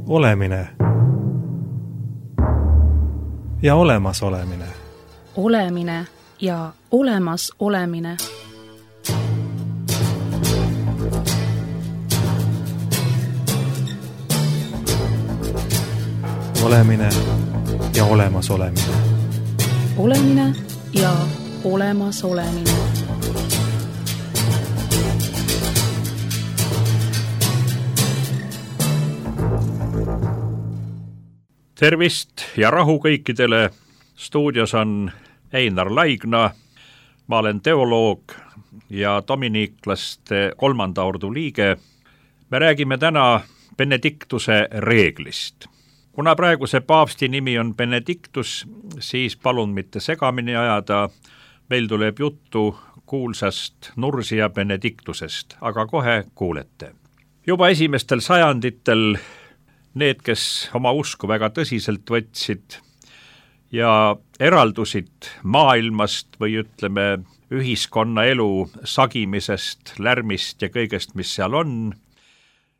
Olemine ja olemasolemine. Olemine ja olemas olemine. Olemine ja olemas olemine. Olemine ja olemas olemine. Tervist ja rahu kõikidele. Stuudios on Einar Laigna. Ma olen teoloog ja dominiiklaste 3. ordu liige. Me räägime täna Benediktuse reeglist. Kuna praeguse paavsti nimi on Benediktus, siis palun mitte segamini ajada. Meil tuleb juttu kuulsast Nursia Benediktusest, aga kohe kuulete. Juba esimestel sajanditel need, kes oma usku väga tõsiselt võtsid ja eraldusid maailmast või ütleme ühiskonnaelu sagimisest, lärmist ja kõigest, mis seal on,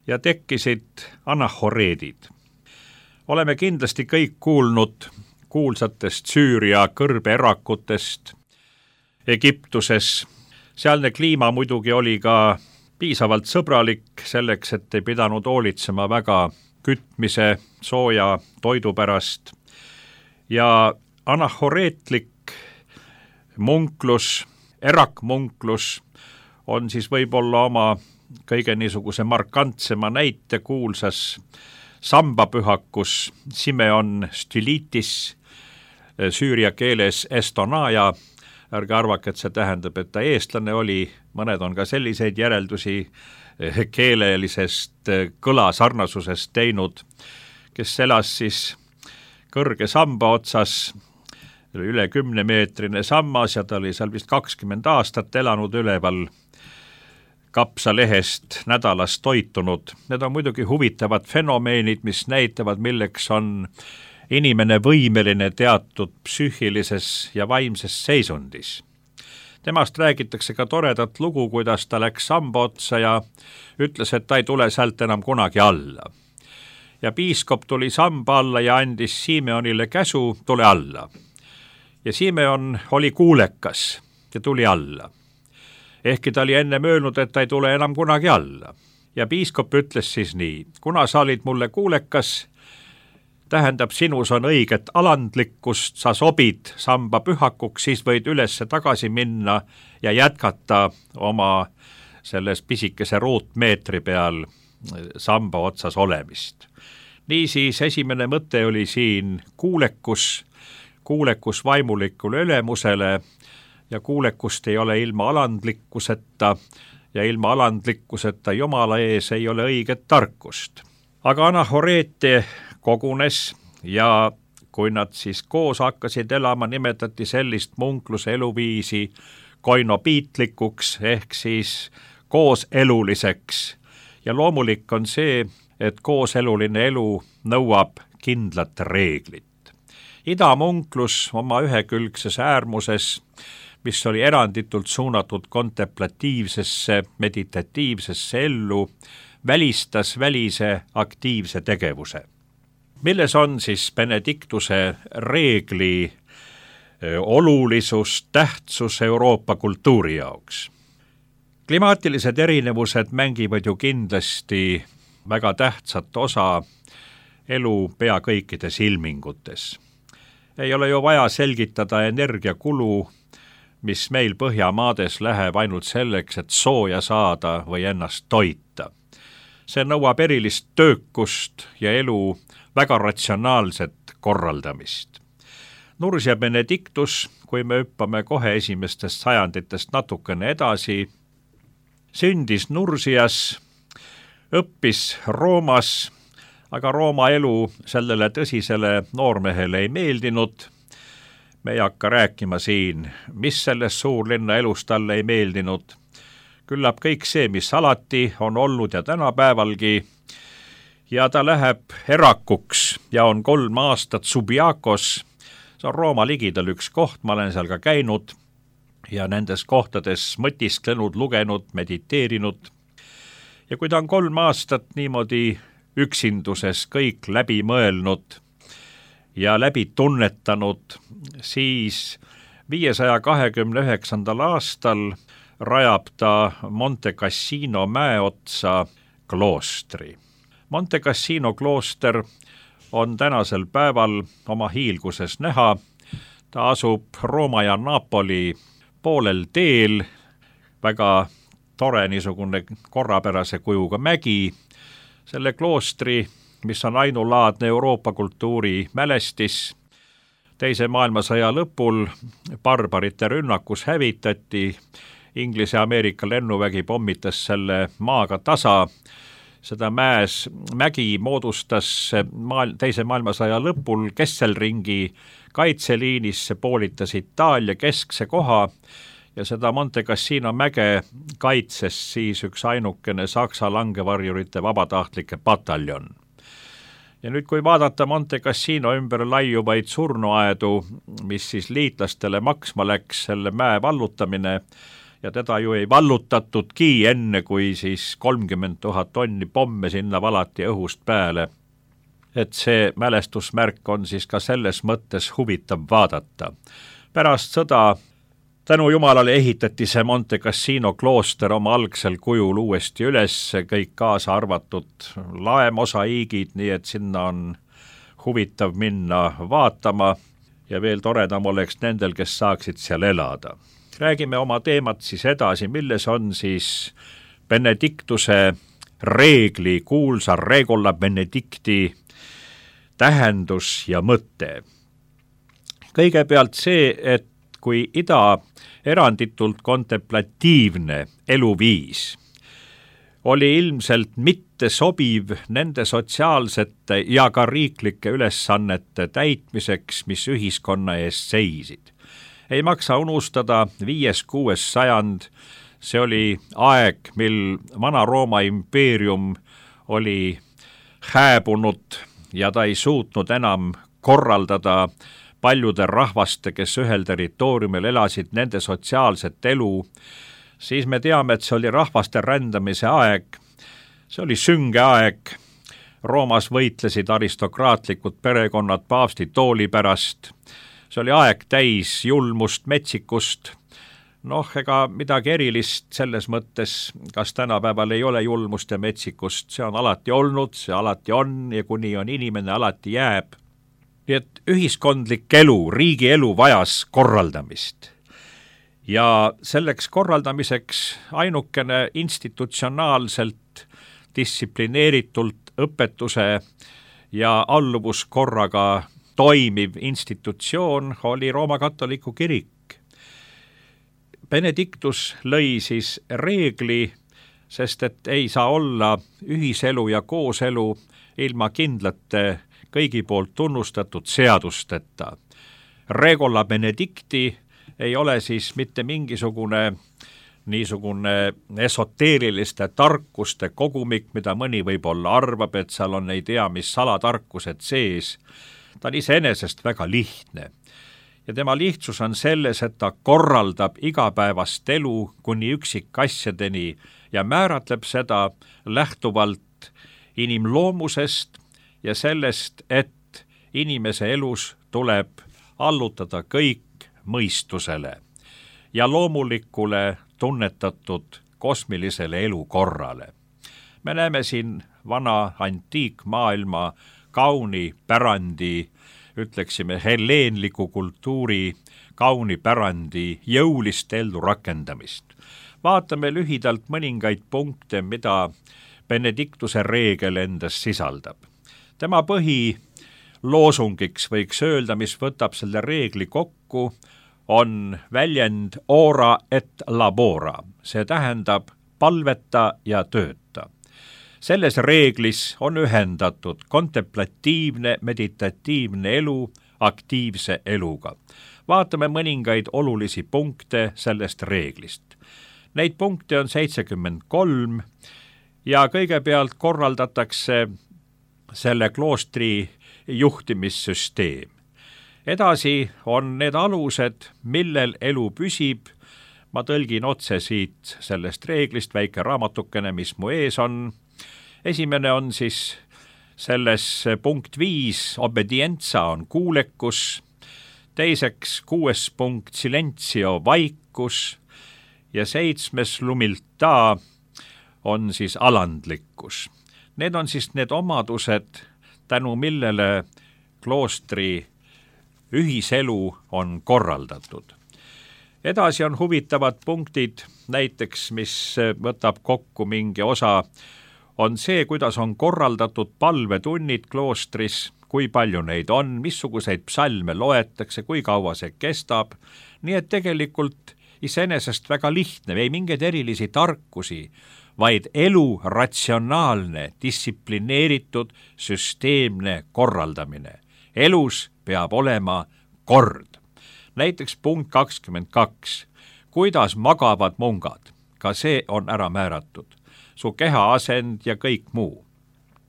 ja tekkisid anahoreedid. Oleme kindlasti kõik kuulnud kuulsatest Süüria kõrbeerakutest Egiptuses. Sealne kliima muidugi oli ka piisavalt sõbralik selleks, et ei pidanud hoolitsema väga kütmise, sooja toidu pärast. Ja anahoreetlik munklus, erakmunklus on siis võib-olla oma kõige niisuguse markantsema näite kuulsas sambapühakus Simeon Stylitis, süüria keeles Estonaja. Ärge arvake, et see tähendab, et ta eestlane oli, mõned on ka selliseid järeldusi keelelisest kõlasarnasusest teinud, kes elas siis kõrge samba otsas, üle 10-meetrine sammas ja ta oli seal vist 20 aastat elanud üleval, kapsalehest nädalas toitunud. Need on muidugi huvitavad fenomeenid, mis näitavad, milleks on inimene võimeline teatud psüühilises ja vaimses seisundis. Temast räägitakse ka toredat lugu, kuidas ta läks samba otsa ja ütles, et ta ei tule sealt enam kunagi alla. Ja piiskop tuli samba alla ja andis Simeonile käsu, tule alla. Ja Simeon oli kuulekas ja tuli alla. Ehkki ta oli enne möönud, et ta ei tule enam kunagi alla. Ja piiskop ütles siis nii, kuna sa olid mulle kuulekas, tähendab, sinus on õiget alandlikkust, sa sobid samba pühakuks, siis võid ülesse tagasi minna ja jätkata oma selles pisikese ruutmeetri peal samba otsas olemist. Niisiis esimene mõte oli siin kuulekus vaimulikule ülemusele ja kuulekust ei ole ilma alandlikkuseta ja ilma alandlikkuseta Jumala ees ei ole õiget tarkust. Aga anahoreete kogunes ja kui nad siis koos hakkasid elama, nimetati sellist munkluse eluviisi koinopiitlikuks ehk siis kooseluliseks. Ja loomulik on see, et kooseluline elu nõuab kindlat reeglit. Idamunklus oma ühekülgses äärmuses, mis oli eranditult suunatud kontemplatiivsesse, meditatiivsesse ellu, välistas välise aktiivse tegevuse. Milles on siis Benediktuse reegli olulisus, tähtsus Euroopa kultuuri jaoks? Klimaatilised erinevused mängivad ju kindlasti väga tähtsat osa elu pea kõikides ilmingutes. Ei ole ju vaja selgitada energiakulu, mis meil Põhjamaades läheb ainult selleks, et sooja saada või ennast toita. See nõuab erilist töökust ja elu väga ratsionaalset korraldamist. Nursia Benediktus, kui me hüppame kohe esimestest sajanditest natukene edasi, sündis Nursias, õppis Roomas, aga Rooma elu sellele tõsisele noormehele ei meeldinud. Me ei hakka rääkima siin, mis selles suurlinna elus talle ei meeldinud. Küllap kõik see, mis alati on olnud ja tänapäevalgi, ja ta läheb erakuks ja on 3 aastat Subiakos. See on Rooma ligidal üks koht, ma olen seal ka käinud ja nendes kohtades mõtisklenud, lugenud, mediteerinud. Ja kui ta on 3 aastat niimoodi üksinduses kõik läbi mõelnud ja läbi tunnetanud, siis 529. aastal rajab ta Monte Cassino mäe otsa kloostri. Monte Cassino klooster on tänasel päeval oma hiilguses näha. Ta asub Rooma ja Napoli poolel teel, väga tore niisugune korrapärase kujuga mägi. Selle kloostri, mis on ainulaadne Euroopa kultuuri mälestis, Teise maailmasõja lõpul barbarite rünnakus hävitati, Inglise ja Ameerika lennuvägi pommitas selle maaga tasa. Seda mägi moodustas Teise maailmasõja lõpul kesselringi kaitseliinis, see poolitas Itaalia keskse koha ja seda Monte Cassino mäge kaitses siis üks ainukene Saksa langevarjurite vabatahtlike pataljon. Ja nüüd, kui vaadata Monte Cassino ümber laiuvaid surnuaedu, mis siis liitlastele maksma läks selle mäe vallutamine, ja teda ju ei vallutatudki enne, kui siis 30 000 tonni pomme sinna valati õhust pääle. Et see mälestusmärk on siis ka selles mõttes huvitav vaadata. Pärast sõda tänu Jumalale ehitati see Monte Cassino klooster oma algsel kujul uuesti üles, kõik kaasa arvatud laemosaiigid, nii et sinna on huvitav minna vaatama ja veel toredam oleks nendel, kes saaksid seal elada. Räägime oma teemat siis edasi, milles on siis Benedictuse reegli, kuulsa Regola Benedicti tähendus ja mõte. Kõigepealt see, et kui ida eranditult kontemplatiivne eluviis oli ilmselt mitte sobiv nende sotsiaalsete ja ka riiklike ülesannete täitmiseks, mis ühiskonna ees seisid. Ei maksa unustada 5.–6. sajand, see oli aeg, mil Vana-Rooma impeerium oli hääbunud ja ta ei suutnud enam korraldada paljude rahvaste, kes ühel territooriumil elasid, nende sotsiaalset elu, siis me teame, et see oli rahvaste rändamise aeg, see oli sünge aeg, Roomas võitlesid aristokraatlikud perekonnad paavsti tooli pärast, see oli aeg täis julmust, metsikust, ega midagi erilist selles mõttes, kas tänapäeval ei ole julmust ja metsikust, see on alati olnud, see alati on ja kuni on inimene, alati jääb. Nii et ühiskondlik elu, riigi elu vajas korraldamist ja selleks korraldamiseks ainukene institutsionaalselt, distsiplineeritult õpetuse ja alluvuskorraga toimiv institutsioon oli Rooma katoliku kirik. Benedictus lõi siis reegli, sest et ei saa olla ühiselu ja kooselu ilma kindlate kõigi poolt tunnustatud seadusteta. Regola Benedicti ei ole siis mitte mingisugune niisugune esoteeriliste tarkuste kogumik, mida mõni võib-olla arvab, et seal on ei tea mis salatarkused sees. Ta on iseenesest väga lihtne. Ja tema lihtsus on selles, et ta korraldab igapäevast elu kuni üksikasjadeni ja määratleb seda lähtuvalt inimloomusest ja sellest, et inimese elus tuleb allutada kõik mõistusele ja loomulikule tunnetatud kosmilisele elukorrale. Me näeme siin vana antiikmaailma kauni pärandi, ütleksime helleenliku kultuuri kauni pärandi jõulist ellu rakendamist. Vaatame lühidalt mõningaid punkte, mida Benedictuse reegel endas sisaldab. Tema põhiloosungiks võiks öelda, mis võtab selle reegli kokku, on väljend ora et labora, see tähendab palveta ja tööta. Selles reeglis on ühendatud kontemplatiivne, meditatiivne elu aktiivse eluga. Vaatame mõningaid olulisi punkte sellest reeglist. Neid punkte on 73 ja kõigepealt korraldatakse selle kloostri juhtimissüsteem. Edasi on need alused, millel elu püsib. Ma tõlgin otse siit sellest reeglist väike raamatukene, mis mu ees on. Esimene on siis Selles punkt 5 obedienza on kuulekus, teiseks 6. punkt silentio vaikus ja 7. lumilta on siis alandlikkus. Need on siis need omadused, tänu millele kloostri ühiselu on korraldatud. Edasi on huvitavad punktid, näiteks mis võtab kokku mingi osa, on see, kuidas on korraldatud palvetunnid kloostris, kui palju neid on, missuguseid psalme loetakse, kui kaua see kestab, nii et tegelikult iseenesest väga lihtne, ei mingeid erilisi tarkusi, vaid elu ratsionaalne, distsiplineeritud, süsteemne korraldamine. Elus peab olema kord. Näiteks punkt 22. Kuidas magavad mungad? Ka see on ära määratud. Su keha asend ja kõik muu.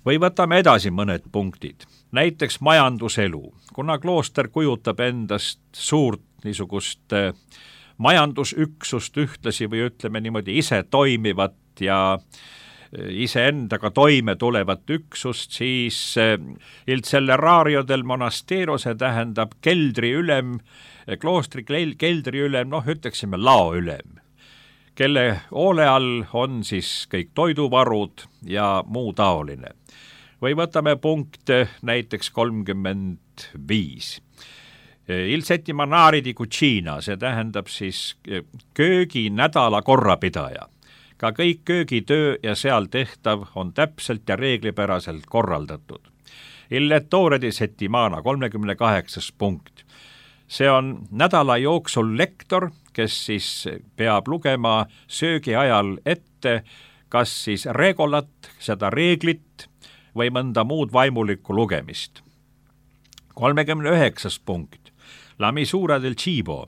Või võtame edasi mõned punktid. Näiteks majanduselu. Kuna klooster kujutab endast suurt niisugust majandusüksust ühtlasi või ütleme niimoodi ise toimivat ja iseendaga toime tulevat üksust, siis il celerario del monastero, see tähendab keldriülem, kloostri keldriülem, ütleksime laoülem, kelle hoole all on siis kõik toiduvarud ja muu taoline. Või võtame punkt näiteks 35. Il settimanari di cucina, see tähendab siis kööginädala korrapidaja. Ka kõik köögitöö ja seal tehtav on täpselt ja reeglipäraselt korraldatud. Il lettore di settimana, 38. punkt. See on nädala jooksul lektor, kes siis peab lugema söögi ajal ette, kas siis regolat, seda reeglit, või mõnda muud vaimulikku lugemist. 39. punkt. La misura del cibo,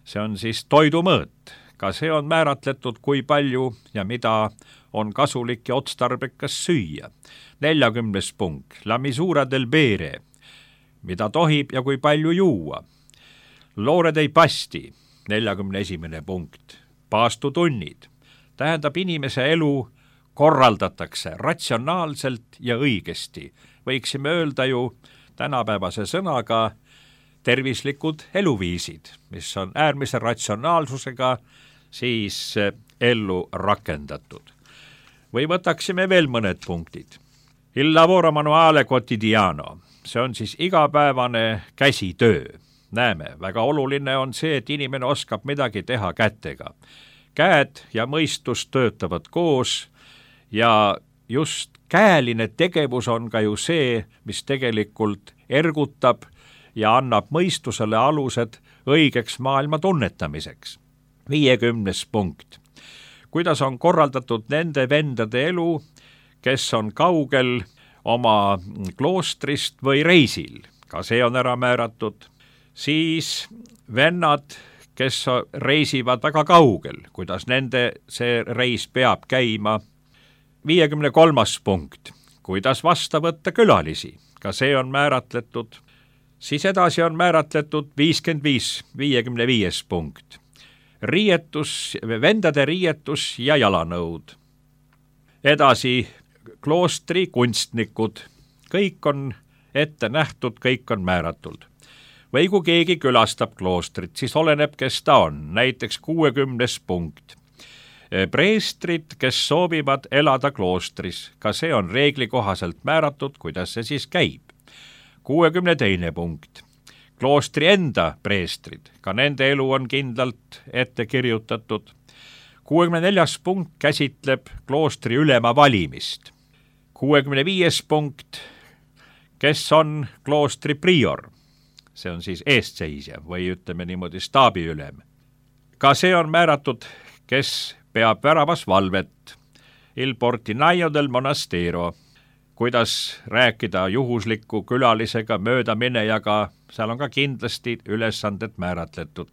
see on siis toidumõõt. Ka see on määratletud, kui palju ja mida on kasulik ja otstarbekas süüa. 40. punkt. La misura del bere, mida tohib ja kui palju juua. L'ore dei pasti, 41. punkt. Paastutunnid, tähendab inimese elu korraldatakse ratsionaalselt ja õigesti. Võiksime öelda ju tänapäevase sõnaga tervislikud eluviisid, mis on äärmise ratsionaalsusega siis ellu rakendatud. Või võtaksime veel mõned punktid. Il lavoro manuale quotidiano, see on siis igapäevane käsitöö. Näeme, väga oluline on see, et inimene oskab midagi teha kätega. Käed ja mõistus töötavad koos ja just käeline tegevus on ka ju see, mis tegelikult ergutab ja annab mõistusele alused õigeks maailma tunnetamiseks. 50. punkt. Kuidas on korraldatud nende vendade elu, kes on kaugel oma kloostrist või reisil? Ka see on ära määratud. Siis vennad, kes reisivad väga kaugel, kuidas nende see reis peab käima. 53. punkt. Kuidas vasta võtta külalisi? Ka see on määratletud. Siis edasi on määratletud 55. punkt. Vendade riietus ja jalanõud. Edasi kloostri kunstnikud. Kõik on ette nähtud, kõik on määratud. Või kui keegi külastab kloostrit, siis oleneb, kes ta on. Näiteks 60. punkt. Preestrid, kes soovivad elada kloostris. Ka see on reegli kohaselt määratud, kuidas see siis käib. 62. punkt. Kloostri enda preestrid, ka nende elu on kindlalt ette kirjutatud. 64. punkt käsitleb kloostri ülema valimist. 65. punkt, kes on kloostri prior, see on siis eestseisja või ütleme niimoodi staabiülem. Ka see on määratud, kes peab väravas valvet. Il portinaio del monastero, kuidas rääkida juhusliku külalisega, möödaminejaga, seal on ka kindlasti ülesanded määratletud.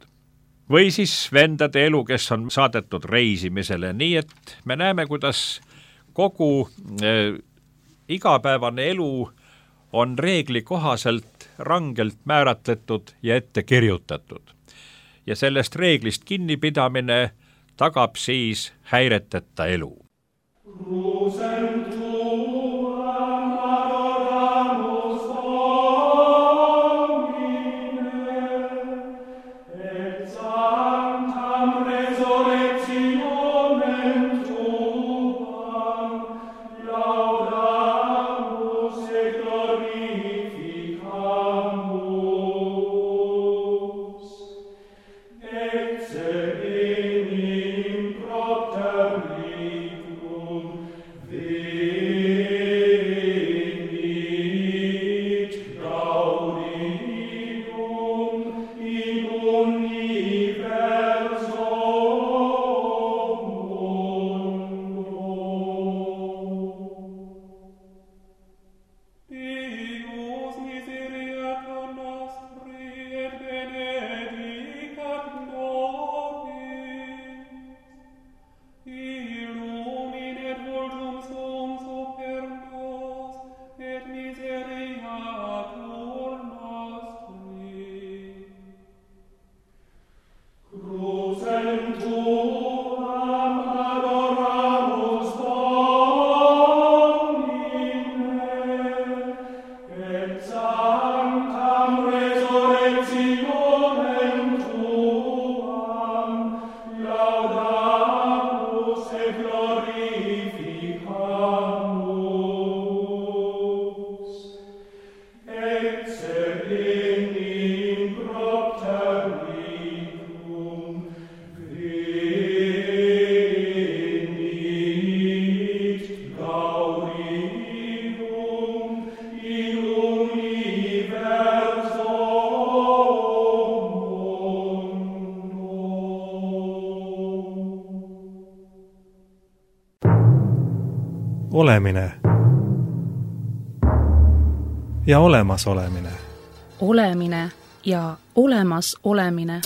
Või siis vendade elu, kes on saadetud reisimisele, nii et me näeme, kuidas kogu igapäevane elu on reegli kohaselt rangelt määratletud ja ette kirjutatud. Ja sellest reeglist kinnipidamine tagab siis häireteta elu. olemine ja olemasolemine. Olemine ja olemas olemine.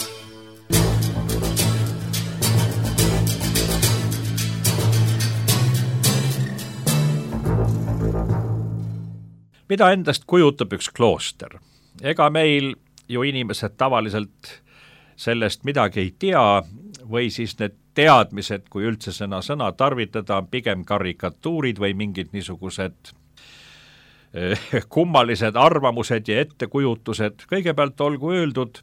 Mida endast kujutab üks klooster? Ega meil ju inimesed tavaliselt sellest midagi ei tea või siis need teadmised, kui üldse sõna tarvitada, on pigem karikatuurid või mingid niisugused kummalised arvamused ja ettekujutused. Kõigepealt olgu öeldud,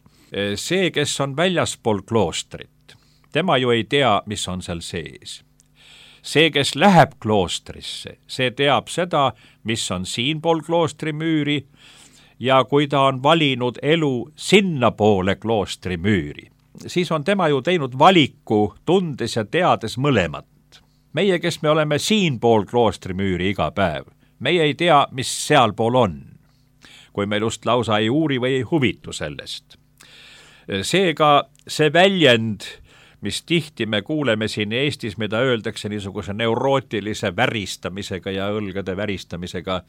see, kes on väljaspool kloostrit, tema ju ei tea, mis on seal sees. See, kes läheb kloostrisse, see teab seda, mis on siinpool kloostri müüri ja kui ta on valinud elu sinnapoole kloostri müüri, siis on tema ju teinud valiku, tundes ja teades mõlemat. Meie, kes me oleme siinpool kloostri müüri iga päev, meie ei tea, mis sealpool on, kui meil just lausa ei uuri või ei huvitu sellest. Seega see väljend, mis tihti me kuuleme siin Eestis, mida öeldakse niisuguse neurootilise väristamisega ja õlgade väristamisega,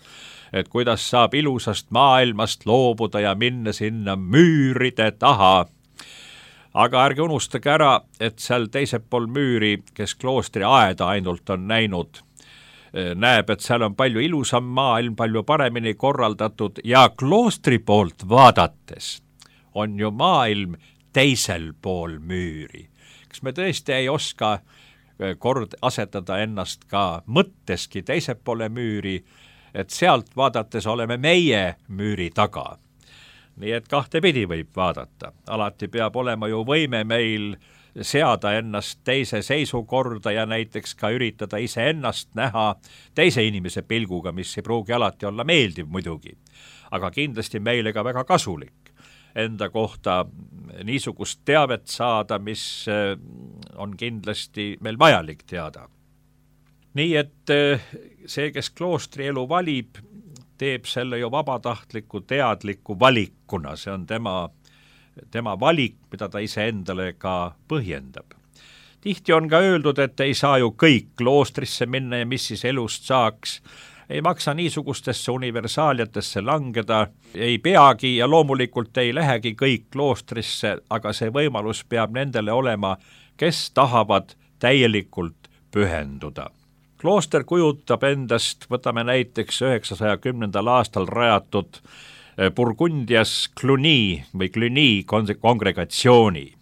et kuidas saab ilusast maailmast loobuda ja minna sinna müüride taha. Aga ärge unustage ära, et seal teisel pool müüri, kes kloostri aeda ainult on näinud, näeb, et seal on palju ilusam maailm, palju paremini korraldatud ja kloostri poolt vaadates on ju maailm teisel pool müüri. Kas me tõesti ei oska kord asetada ennast ka mõtteski teisel poole müüri, et sealt vaadates oleme meie müüri taga. Nii et kahtepidi võib vaadata. Alati peab olema ju võime meil seada ennast teise seisukorda ja näiteks ka üritada iseennast näha teise inimese pilguga, mis ei pruugi alati olla meeldiv muidugi, aga kindlasti meile ka väga kasulik enda kohta niisugust teavet saada, mis on kindlasti meil vajalik teada. Nii et see, kes kloostri elu valib, teeb selle ju vabatahtliku teadliku valikuna, see on tema valik, mida ta iseendale ka põhjendab. Tihti on ka öeldud, et ei saa ju kõik kloostrisse minna ja mis siis elust saaks. Ei maksa niisugustesse universaaliatesse langeda, ei peagi ja loomulikult ei lähegi kõik kloostrisse, aga see võimalus peab nendele olema, kes tahavad täielikult pühenduda. Klooster kujutab endast, võtame näiteks 910. aastal rajatud Burgundias Cluny kongregatsiooni,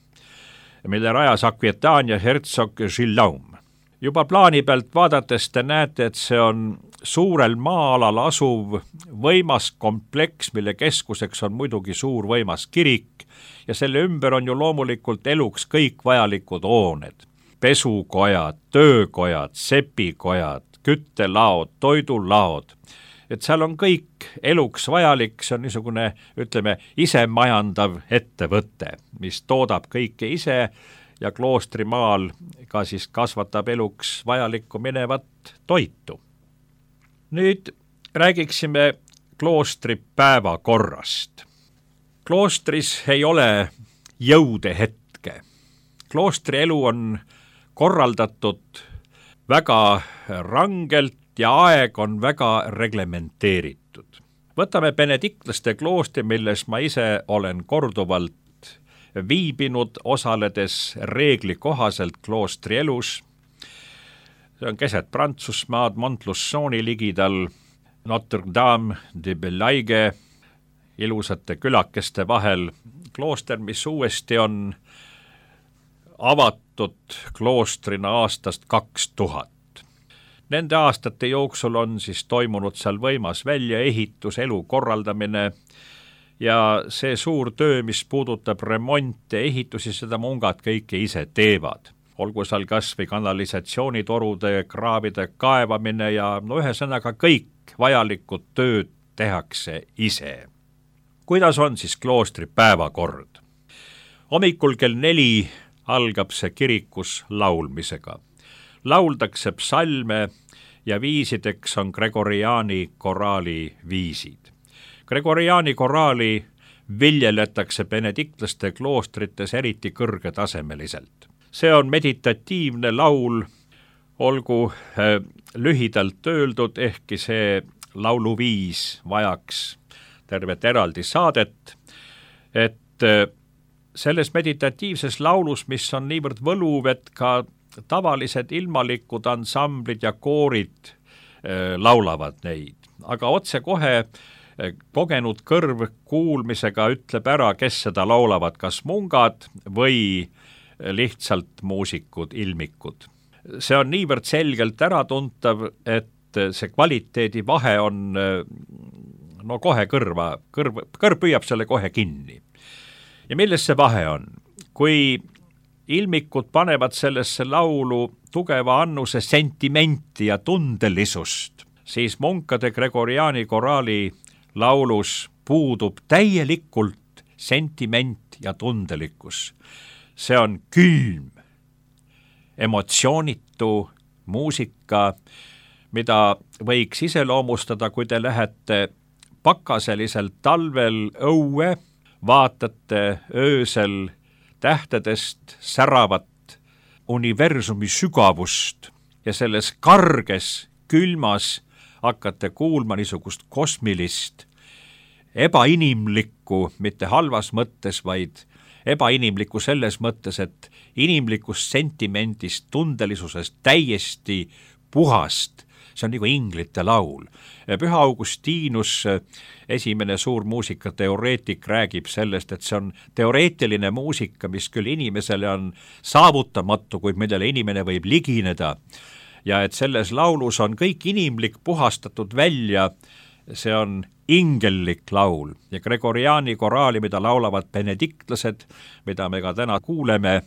mille rajas Aquitaania hertsog Guillaume. Juba plaani pealt vaadates te näete, et see on suurel maa-alal asuv võimas kompleks, mille keskuseks on muidugi suur võimas kirik ja selle ümber on ju loomulikult eluks kõik vajalikud hooned. Pesukojad, töökojad, sepikojad, küttelaod, toidulaod. Et seal on kõik eluks vajalik, see on niisugune, ütleme, isemajandav ettevõte, mis toodab kõike ise ja kloostrimaal ka siis kasvatab eluks vajalikku minevat toitu. Nüüd räägiksime kloostri päevakorrast. Kloostris ei ole jõude hetke. Kloostri elu on korraldatud väga rangelt ja aeg on väga reglementeeritud. Võtame benediktlaste kloostri, milles ma ise olen korduvalt viibinud, osaledes reegli kohaselt kloostri elus. See on keset Prantsusmaad, Montlussoni ligidal, Notre-Dame de Belaige, ilusate külakeste vahel. Klooster, mis uuesti on avatud kloostrina aastast 2000. Nende aastate jooksul on siis toimunud seal võimas väljaehitus, elu korraldamine ja see suur töö, mis puudutab remonte, ehitusi, seda mungad kõike ise teevad. Olgu seal kas või kanalisatsioonitorude, kraavide kaevamine ja ühesõnaga kõik vajalikud tööd tehakse ise. Kuidas on siis kloostri päevakord? Hommikul kell 4 algab see kirikus laulmisega. Lauldakse psalme ja viisideks on Gregoriani koraali viisid. Gregoriani koraali viljeletakse benediktlaste kloostrites eriti kõrgetasemeliselt. See on meditatiivne laul, olgu lühidalt öeldud, ehkki see lauluviis vajaks tervet eraldi saadet, et selles meditatiivses laulus, mis on niivõrd võluv, et ka tavalised ilmalikud ansamblid ja koorid laulavad neid, aga otsekohe kogenud kõrv kuulmisega ütleb ära, kes seda laulavad, kas mungad või lihtsalt muusikud, ilmikud. See on niivõrd selgelt äratuntav, et see kvaliteedi vahe on kohe kõrv püüab selle kohe kinni. Ja milles see vahe on? Kui ilmikud panevad sellesse laulu tugeva annuse sentimenti ja tundelisust, siis munkade Gregoriani koraali laulus puudub täielikult sentiment ja tundelikkus. See on külm, emotsioonitu muusika, mida võiks iseloomustada, kui te lähete pakaselisel talvel õue, vaatate öösel tähtedest säravat universumi sügavust ja selles karges, külmas hakkate kuulma niisugust kosmilist, ebainimlikku, mitte halvas mõttes, vaid ebainimlikku selles mõttes, et inimlikust sentimendist, tundelisusest täiesti puhast. See on nagu inglite laul. Püha Augustinus, esimene suur muusikateoreetik, räägib sellest, et see on teoreetiline muusika, mis küll inimesele on saavutamatu, kuid millele inimene võib ligineda. Ja et selles laulus on kõik inimlik puhastatud välja, see on ingellik laul ja Gregoriani koraali, mida laulavad benediktlased, mida me ka täna kuuleme,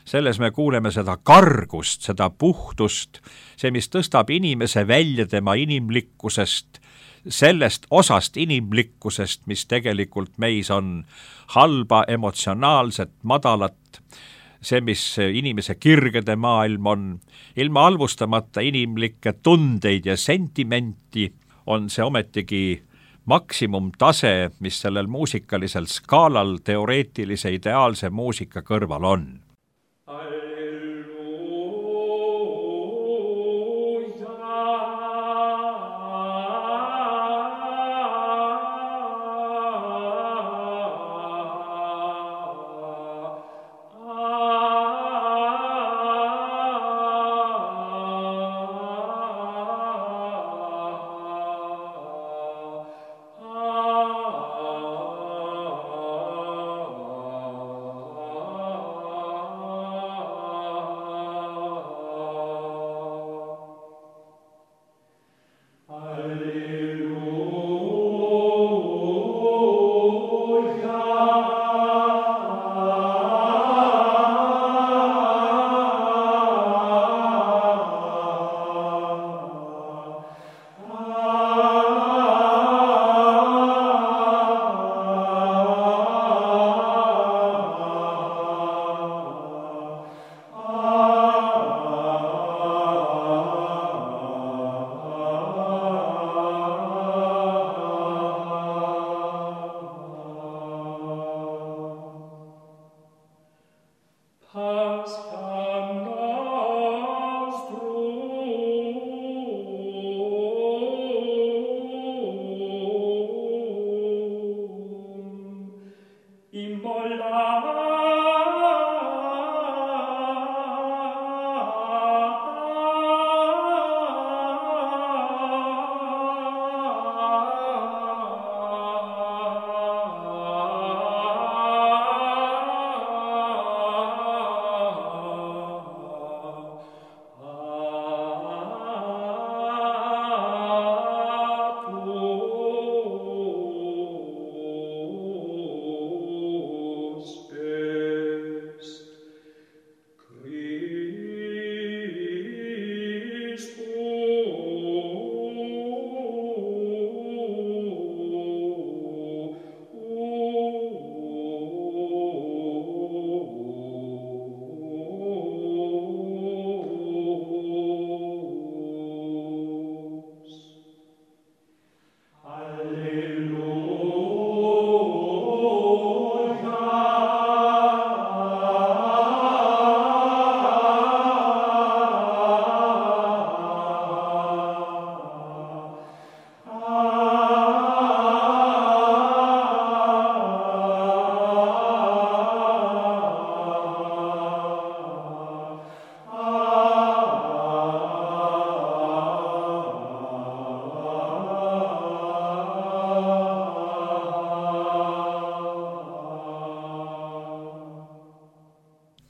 selles me kuuleme seda kargust, seda puhtust, see, mis tõstab inimese välja tema inimlikkusest, sellest osast inimlikkusest, mis tegelikult meis on halba, emotsionaalset, madalat, see, mis inimese kirgede maailm on, ilma halvustamata inimlikke tundeid ja sentimenti, on see ometigi maksimumtase, mis sellel muusikalisel skaalal teoreetilise ideaalse muusika kõrval on.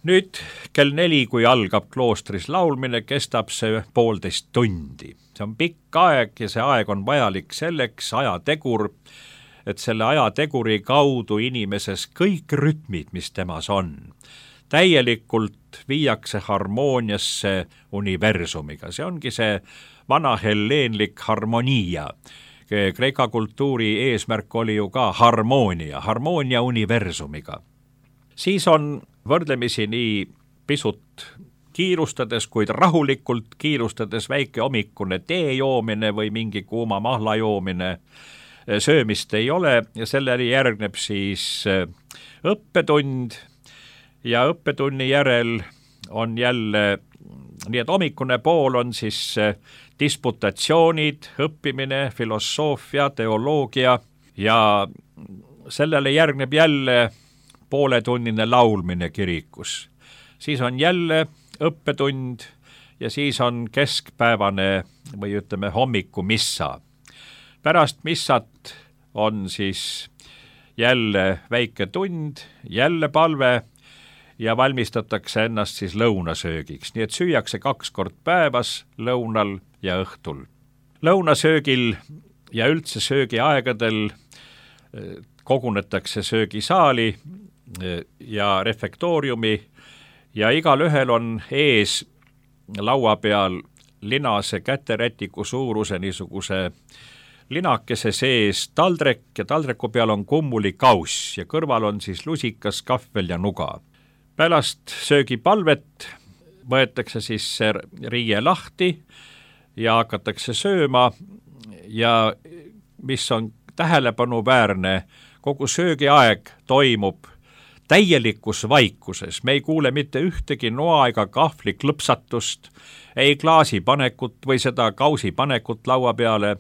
Nüüd kell 4, kui algab kloostris laulmine, kestab see 1,5 tundi. See on pikk aeg ja see aeg on vajalik selleks, ajategur, et selle ajateguri kaudu inimeses kõik rütmid, mis temas on, täielikult viiakse harmooniasse universumiga. See ongi see vana helleenlik harmonia. Kreeka kultuuri eesmärk oli ju ka harmoonia universumiga. Siis on võrdlemisi nii pisut kiirustades, kuid rahulikult kiirustades väike hommikune tee joomine või mingi kuuma mahla joomine, söömist ei ole ja sellele järgneb siis õppetund ja õppetunni järel on jälle, nii et hommikune pool on siis disputatsioonid, õppimine, filosoofia, teoloogia ja sellele järgneb jälle pooletunnine laulmine kirikus. Siis on jälle õppetund ja siis on keskpäevane või ütleme hommikumissa. Pärast missat on siis jälle väike tund, jälle palve ja valmistatakse ennast siis lõunasöögiks. Nii et süüakse 2 kord päevas, lõunal ja õhtul. Lõunasöögil ja üldse söögiaegadel kogunetakse söögisaali ja refektooriumi ja igal ühel on ees laua peal linase käterätiku suuruse niisuguse linakese sees taldrek ja taldreku peal on kummulikauss ja kõrval on siis lusikas, kahvel ja nuga. Pärast söögipalvet võetakse siis see riie lahti ja hakatakse sööma ja mis on tähelepanuväärne, kogu söögiaeg toimub täielikus vaikuses. Me ei kuule mitte ühtegi noa ega kahvli klõpsatust, ei klaasi panekut või seda kausi panekut laua peale,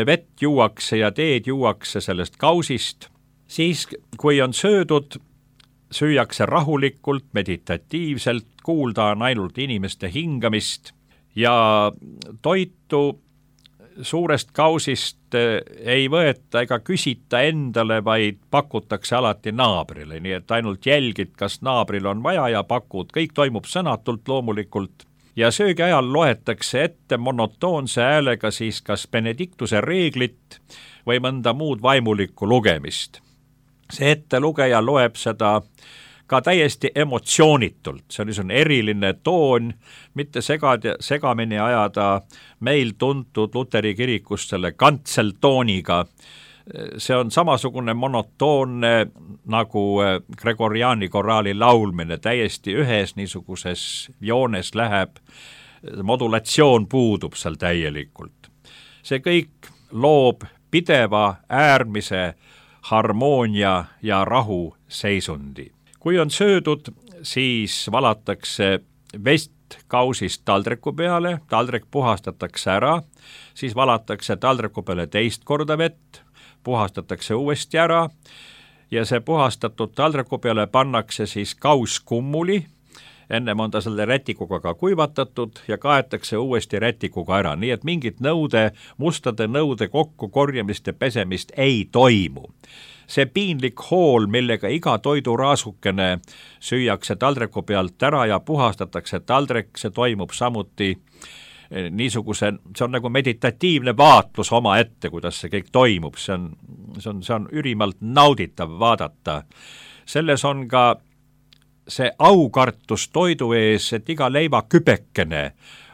vett juuakse ja teed juuakse sellest kausist. Siis, kui on söödud, süüakse rahulikult, meditatiivselt, kuulda on ainult inimeste hingamist ja toitu suurest kausist ei võeta ega küsita endale, vaid pakutakse alati naabrile, nii et ainult jälgid, kas naabril on vaja ja pakud, kõik toimub sõnatult loomulikult. Ja söögi ajal loetakse ette monotoonse häälega siis kas Benediktuse reeglit või mõnda muud vaimulikku lugemist. See ettelugeja loeb seda ka täiesti emotsioonitult, see on niisugune eriline toon, mitte segamini ajada meil tuntud Luteri kirikus selle kantseltooniga. See on samasugune monotoonne nagu Gregoriani koraali laulmine, täiesti ühes niisuguses joones läheb, modulatsioon puudub seal täielikult. See kõik loob pideva äärmise harmoonia ja rahu seisundi. Kui on söödud, siis valatakse vest kausist taldreku peale, taldrek puhastatakse ära, siis valatakse taldreku peale 2 korda vett, puhastatakse uuesti ära ja see puhastatud taldreku peale pannakse siis kaus kummuli, ennem on ta selle rätikuga ka kuivatatud ja kaetakse uuesti rätikuga ära, nii et mingit mustade nõude kokkukorjamist ja pesemist ei toimu. See piinlik hool, millega iga toiduraasukene süüakse taldreku pealt ära ja puhastatakse taldrek, see toimub samuti niisuguse, see on nagu meditatiivne vaatlus oma ette, kuidas see kõik toimub, see on ülimalt nauditav vaadata. Selles on ka see aukartus toidu ees, et iga leivakübekene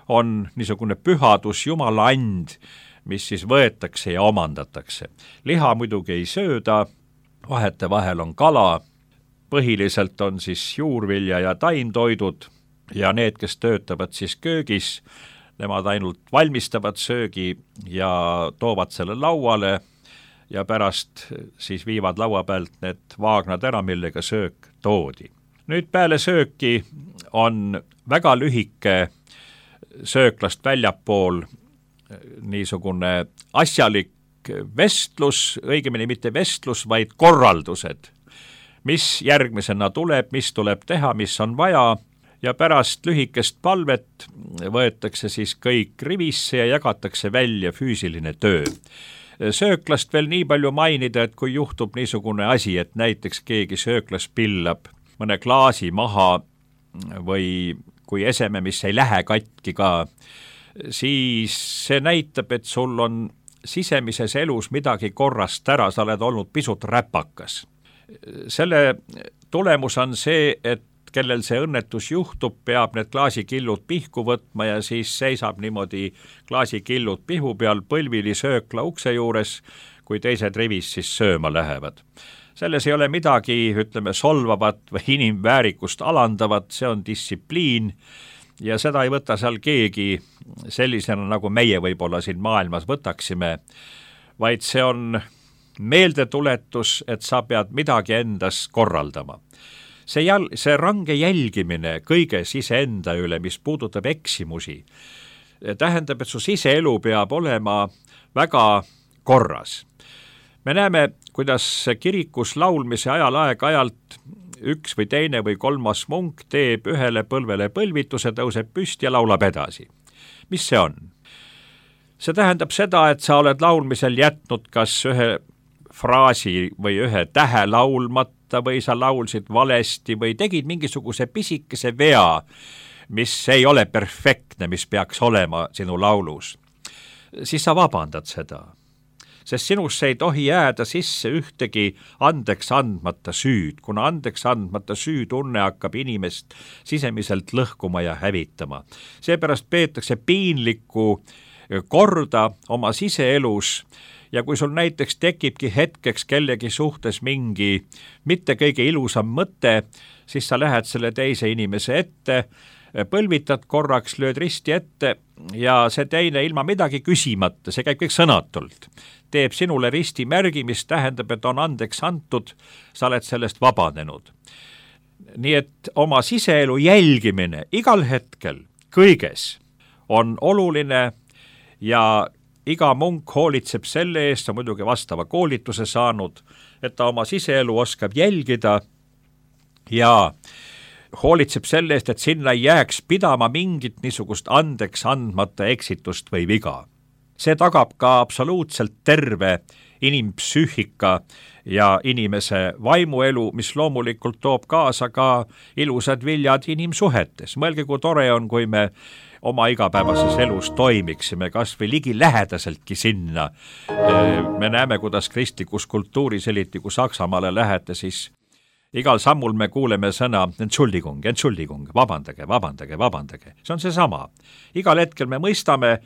on niisugune pühadus, Jumala and, mis siis võetakse ja omandatakse. Liha muidugi ei sööda, vahetevahel on kala, põhiliselt on siis juurvilja ja taimtoidud ja need, kes töötavad siis köögis, nemad ainult valmistavad söögi ja toovad selle lauale ja pärast siis viivad laua pealt need vaagnad ära, millega söök toodi. Nüüd peale sööki on väga lühike sööklast väljapool niisugune asjalik vestlus, õigemini mitte vestlus, vaid korraldused, mis järgmisena tuleb, mis tuleb teha, mis on vaja ja pärast lühikest palvet võetakse siis kõik rivisse ja jagatakse välja füüsiline töö. Sööklast veel nii palju mainida, et kui juhtub niisugune asi, et näiteks keegi sööklas pillab mõne klaasi maha või kui eseme, mis ei lähe katki ka, siis see näitab, et sul on sisemises elus midagi korrast ära, sa oled olnud pisut räpakas. Selle tulemus on see, et kellel see õnnetus juhtub, peab need klaasikillud pihku võtma ja siis seisab niimoodi klaasikillud pihu peal põlvili söökla ukse juures, kui teised rivis siis sööma lähevad. Selles ei ole midagi, ütleme, solvavat või inimväärikust alandavat, see on distsipliin ja seda ei võta seal keegi sellisena, nagu meie võib-olla siin maailmas võtaksime, vaid see on meeldetuletus, et sa pead midagi endas korraldama. See range jälgimine kõiges iseenda üle, mis puudutab eksimusi, tähendab, et su siseelu peab olema väga korras. Me näeme, kuidas kirikus laulmise ajal aeg-ajalt üks või teine või kolmas munk teeb ühele põlvele põlvituse, tõuseb püsti ja laulab edasi. Mis see on? See tähendab seda, et sa oled laulmisel jätnud kas ühe fraasi või ühe tähe laulmata või sa laulsid valesti või tegid mingisuguse pisikese vea, mis ei ole perfektne, mis peaks olema sinu laulus. Siis sa vabandad seda, sest sinusse ei tohi jääda sisse ühtegi andeks andmata süüd, kuna andeks andmata süütunne hakkab inimest sisemiselt lõhkuma ja hävitama. Seepärast peetakse piinlikku korda oma siseelus ja kui sul näiteks tekibki hetkeks kellegi suhtes mingi mitte kõige ilusam mõte, siis sa lähed selle teise inimese ette, põlvitad korraks, lööd risti ette ja see teine ilma midagi küsimata, see käib kõik sõnatult, teeb sinule risti märgi, mis tähendab, et on andeks antud, sa oled sellest vabanenud. Nii et oma siseelu jälgimine igal hetkel, kõiges on oluline ja iga munk hoolitseb selle eest, on muidugi vastava koolituse saanud, et ta oma siseelu oskab jälgida ja hoolitseb selle eest, et sinna ei jääks pidama mingit niisugust andeks andmata eksitust või viga. See tagab ka absoluutselt terve inimpsüühika ja inimese vaimuelu, mis loomulikult toob kaasa ka ilusad viljad inimsuhetes. Mõelge, kui tore on, kui me oma igapäevases elus toimiksime, kas või ligi lähedaseltki sinna. Me näeme, kuidas kristlikus kultuuris, eriti kui Saksamaale lähete, siis igal sammul me kuuleme sõna Entschuldigung, vabandage. See on seesama. Igal hetkel me mõistame,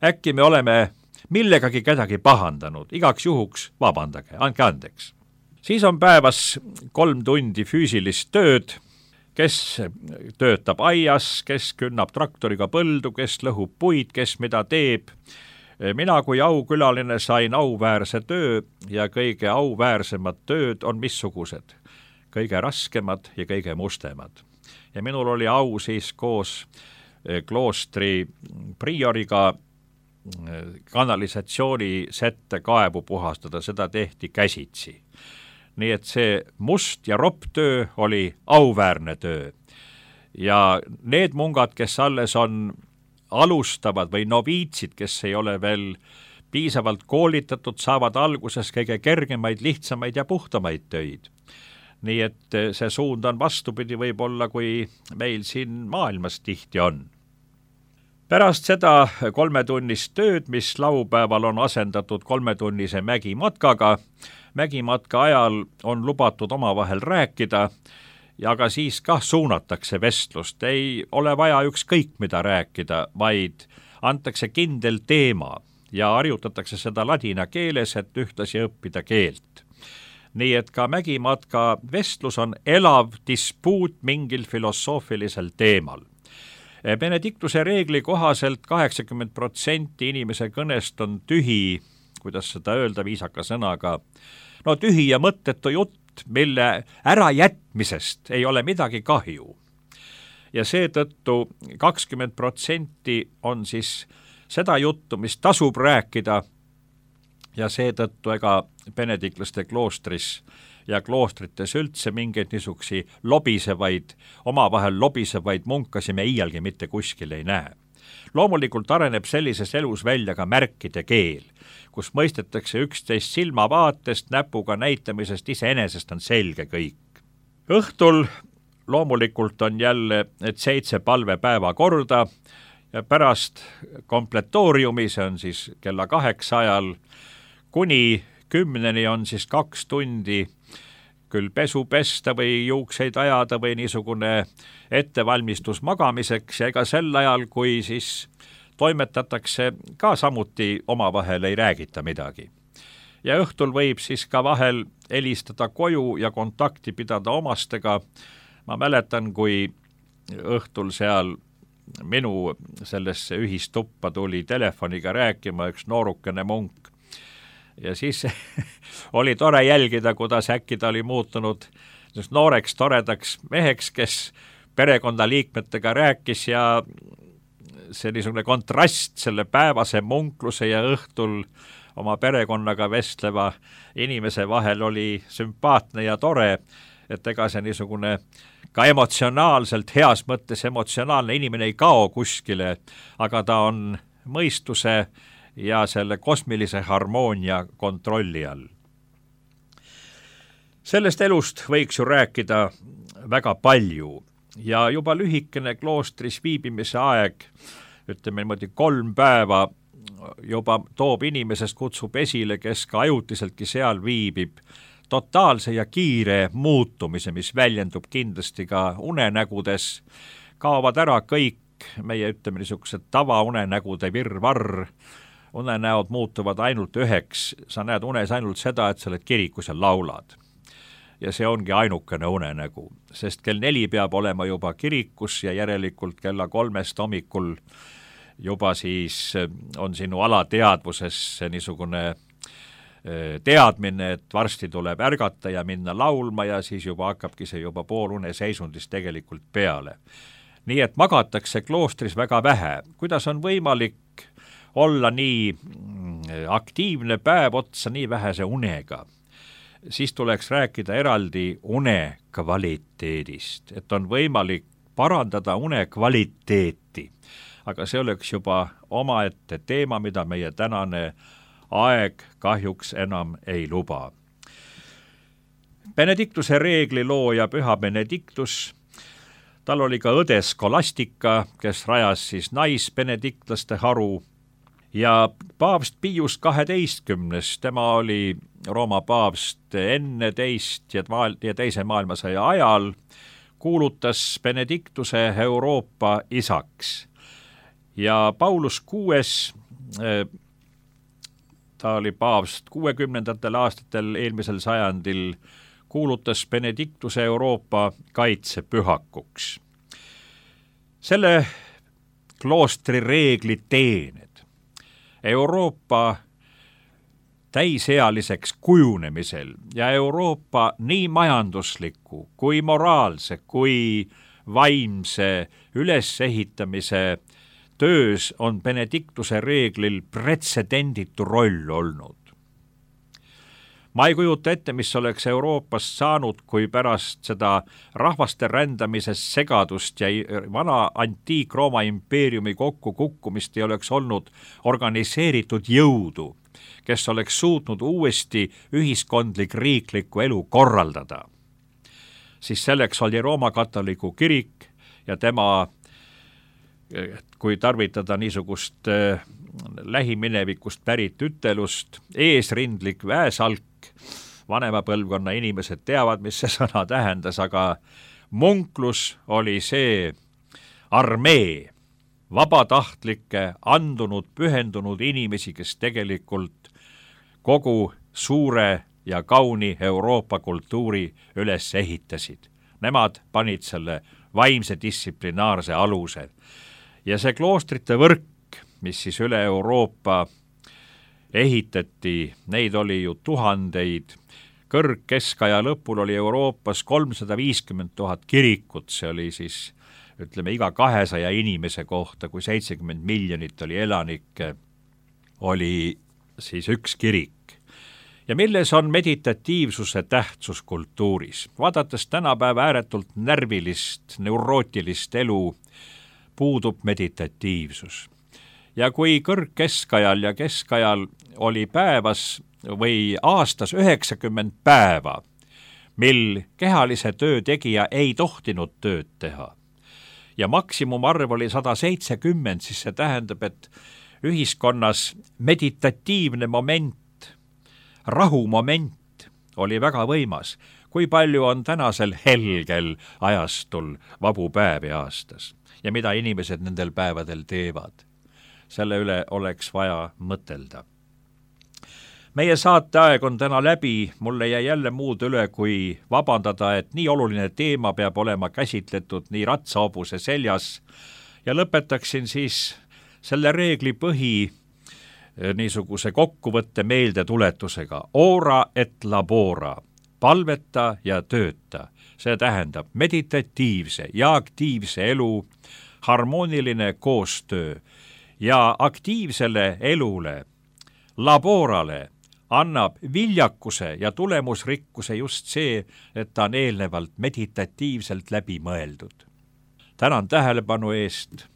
äkki me oleme millegagi kedagi pahandanud, igaks juhuks vabandage, andke andeks. Siis on päevas 3 tundi füüsilist tööd, kes töötab aias, kes künnab traktoriga põldu, kes lõhub puid, kes mida teeb. Mina kui aukülaline sain auväärse töö ja kõige auväärsemad tööd on missugused? Kõige raskemad ja kõige mustemad. Ja minul oli au siis koos kloostri prioriga kanalisatsiooni-sette kaevu puhastada, seda tehti käsitsi. Nii et see must ja ropp töö oli auväärne töö. Ja need mungad, kes alles on alustavad või noviitsid, kes ei ole veel piisavalt koolitatud, saavad alguses kõige kergemaid, lihtsamaid ja puhtamaid töid. Nii et see suund on vastupidi võib-olla, kui meil siin maailmas tihti on. Pärast seda 3-tunnist tööd, mis laupäeval on asendatud 3-tunnise mägimatkaga, mägimatka ajal on lubatud omavahel rääkida, ja ka siis kah suunatakse vestlust. Ei ole vaja ükskõik mida rääkida, vaid antakse kindel teema ja harjutatakse seda ladina keeles, et ühtlasi õppida keelt. Nii et ka mägimatka vestlus on elav dispuut mingil filosoofilisel teemal. Benediktuse reegli kohaselt 80% inimese kõnest on tühi, kuidas seda öelda viisaka sõnaga, tühi ja mõttetu jutt, mille ärajätmisest ei ole midagi kahju. Ja seetõttu 20% on siis seda juttu, mis tasub rääkida, ja seetõttu ega benediklaste kloostris ja kloostrites üldse mingeid niisugusi omavahel lobisevaid munkasi me iialgi mitte kuskil ei näe. Loomulikult areneb sellises elus välja ka märkide keel, kus mõistetakse üksteist silmavaatest, näpuga näitamisest, iseenesest on selge kõik. Õhtul loomulikult on jälle need 7 palvepäeva korda ja pärast kompletooriumi, see on siis kella 8 ajal, kuni 10 on siis 2 tundi küll pesu pesta või juukseid ajada või niisugune ettevalmistus magamiseks ja ega sel ajal, kui siis toimetatakse, ka samuti omavahel ei räägita midagi. Ja õhtul võib siis ka vahel helistada koju ja kontakti pidada omastega. Ma mäletan, kui õhtul seal minu sellesse ühistuppa tuli telefoniga rääkima üks noorukene munk. Ja siis oli tore jälgida, kuidas äkki ta oli muutunud nooreks, toredaks meheks, kes perekonnaliikmetega rääkis ja see niisugune kontrast selle päevase munkluse ja õhtul oma perekonnaga vestleva inimese vahel oli sümpaatne ja tore, et ega see niisugune ka emotsionaalselt, heas mõttes emotsionaalne inimene ei kao kuskile, aga ta on mõistuse ja selle kosmilise harmoonia kontrolli all. Sellest elust võiks ju rääkida väga palju ja juba lühikene kloostris viibimise aeg, ütleme niimoodi 3 päeva, juba toob inimesest, kutsub esile, kes ka ajutiseltki seal viibib, totaalse ja kiire muutumise, mis väljendub kindlasti ka unenägudes, kaovad ära kõik meie, ütleme niisugused tavaunenägude virvarr, unenäod muutuvad ainult üheks, sa näed unes ainult seda, et sa oled kirikus ja laulad. Ja see ongi ainukene unenägu, sest kell 4 peab olema juba kirikus ja järelikult kella 3 hommikul juba siis on sinu alateadvuses niisugune teadmine, et varsti tuleb ärgata ja minna laulma ja siis juba hakkabki see juba poolune seisundis tegelikult peale. Nii et magatakse kloostris väga vähe. Kuidas on võimalik olla nii aktiivne päev otsa nii vähese unega? Siis tuleks rääkida eraldi une kvaliteedist, et on võimalik parandada une kvaliteeti. Aga see oleks juba omaette teema, mida meie tänane aeg kahjuks enam ei luba. Benediktuse reegli looja Püha Benediktus, tal oli ka õde Skolastika, kes rajas siis naisbenediktlaste haru ja paavst Pius 12, tema oli Rooma paavst enne teist ja teise maailmasõja ajal, kuulutas Benediktuse Euroopa isaks. Ja Paulus VI, ta oli paavst 60. aastatel eelmisel sajandil, kuulutas Benediktuse Euroopa kaitsepühakuks. Selle kloostri reegli teened Euroopa täisealiseks kujunemisel ja Euroopa nii majandusliku kui moraalse kui vaimse ülesehitamise töös on Benediktuse reeglil pretsedenditu roll olnud. Ma ei kujuta ette, mis oleks Euroopast saanud, kui pärast seda rahvaste rändamisest segadust ja vana antiik-Rooma impeeriumi kokkukukkumist ei oleks olnud organiseeritud jõudu, kes oleks suutnud uuesti ühiskondlik riiklikku elu korraldada. Siis selleks oli Rooma katoliku kirik ja tema, kui tarvitada niisugust lähiminevikust pärit ütelust, eesrindlik väesalk, vanema põlvkonna inimesed teavad, mis see sõna tähendas, aga munklus oli see armee, vabatahtlikke, andunud, pühendunud inimesi, kes tegelikult kogu suure ja kauni Euroopa kultuuri üles ehitasid. Nemad panid selle vaimse distsiplinaarse aluse. Ja see kloostrite võrk, mis siis üle Euroopa ehitati, neid oli ju tuhandeid. Kõrgkeskaja lõpul oli Euroopas 350 000 kirikut, see oli siis, ütleme, iga 200 inimese kohta, kui 70 miljonit oli elanikke, oli siis üks kirik. Ja milles on meditatiivsuse tähtsus kultuuris? Vaadates tänapäeva ääretult närvilist, neurootilist elu, puudub meditatiivsus. Ja kui kõrgkeskajal ja keskajal oli päevas või aastas 90 päeva, mil kehalise töö tegija ei tohtinud tööd teha. Ja maksimumarv oli 170, siis see tähendab, et ühiskonnas meditatiivne moment, rahumoment oli väga võimas. Kui palju on tänasel helgel ajastul vabu päevi aastas ja mida inimesed nendel päevadel teevad? Selle üle oleks vaja mõtelda. Meie saateaeg on täna läbi, mulle jäi jälle muud üle, kui vabandada, et nii oluline teema peab olema käsitletud nii ratsahobuse seljas ja lõpetaksin siis selle reegli põhi niisuguse kokkuvõtte meeldetuletusega. Ora et labora, palveta ja tööta. See tähendab meditatiivse ja aktiivse elu, harmooniline koostöö ja aktiivsele elule, laborale, annab viljakuse ja tulemusrikkuse just see, et ta on eelnevalt meditatiivselt läbi mõeldud. Tänan tähelepanu eest.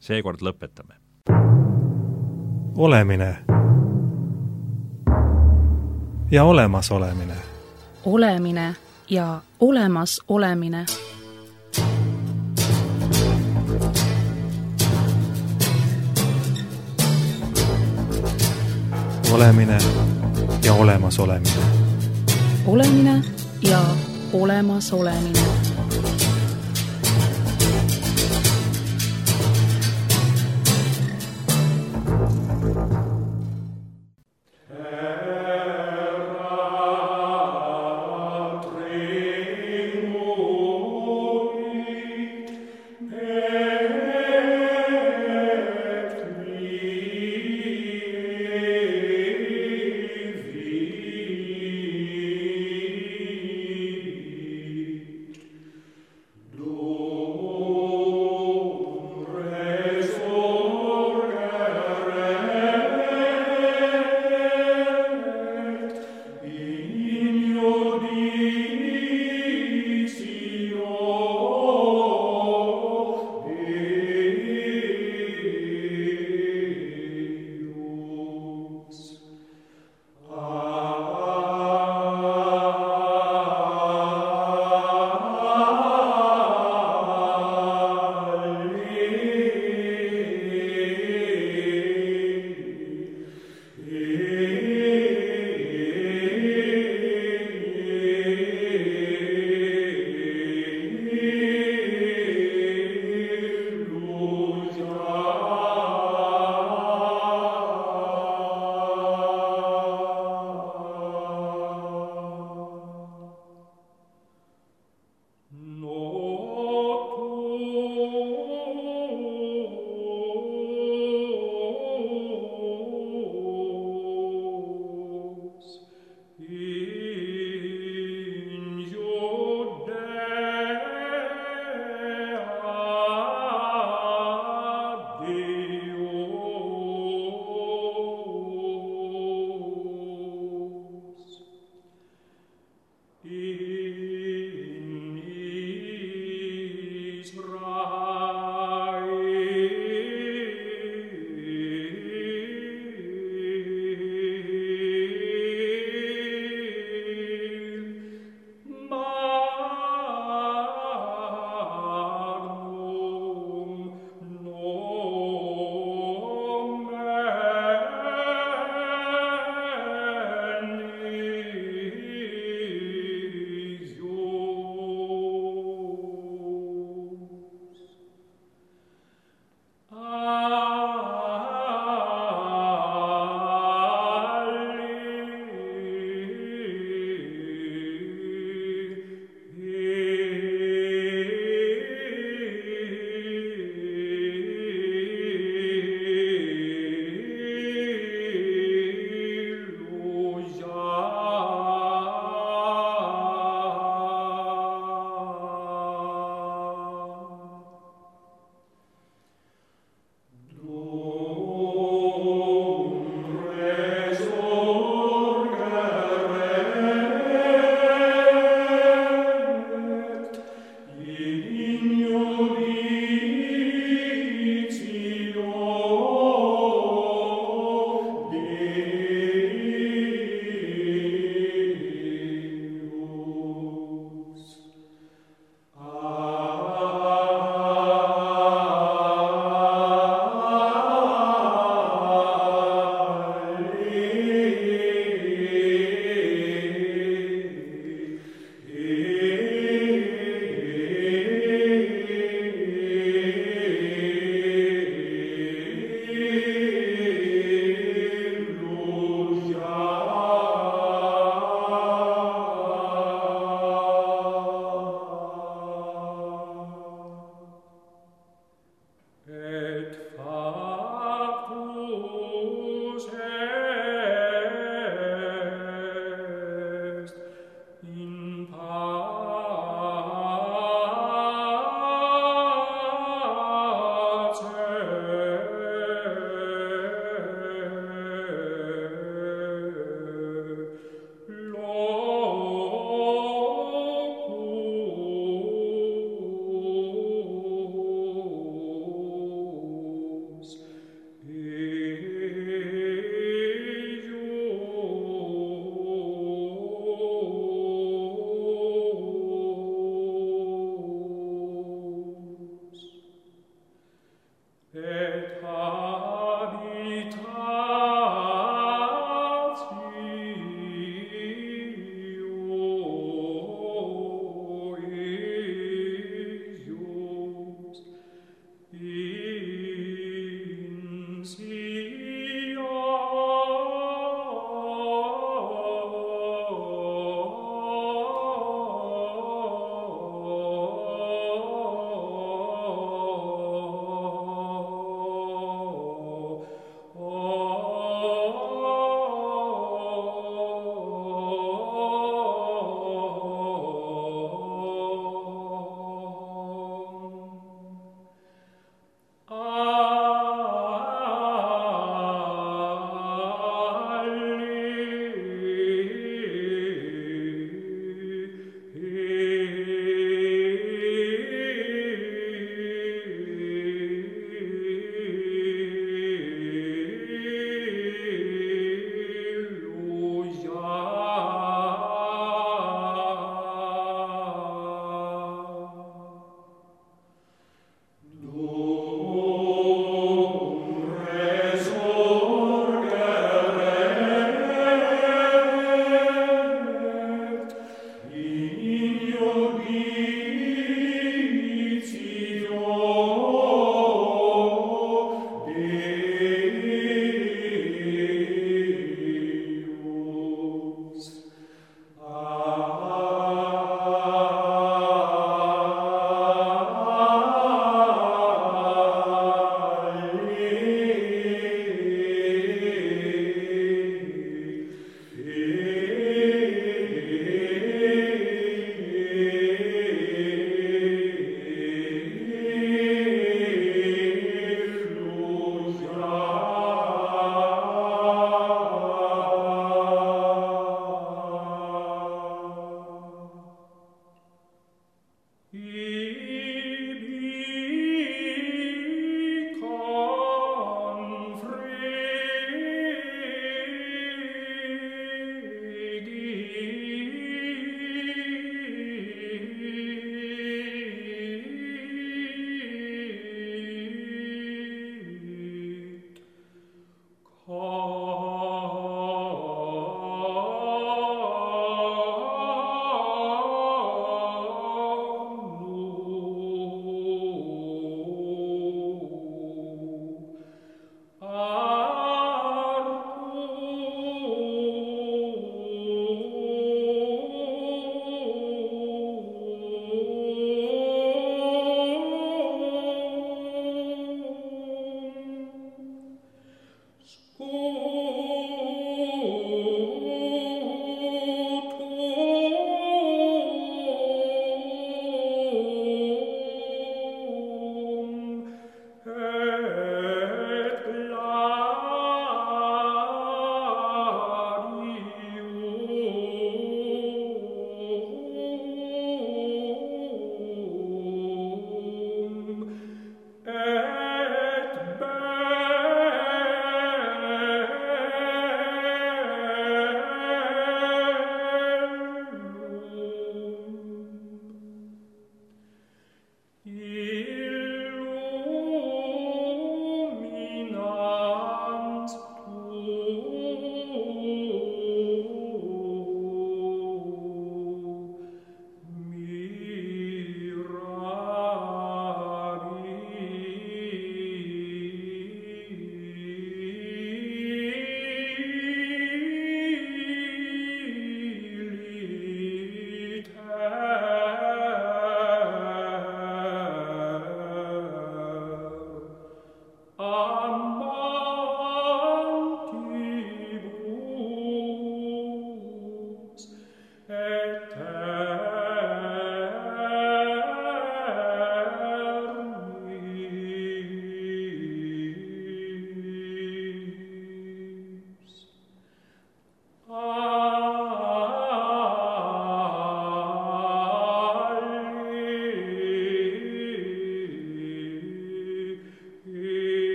Seekord lõpetame. Olemine ja olemasolemine. Olemine ja olemas olemine. Olemine ja olemas olemine. Olemine ja olemas olemine.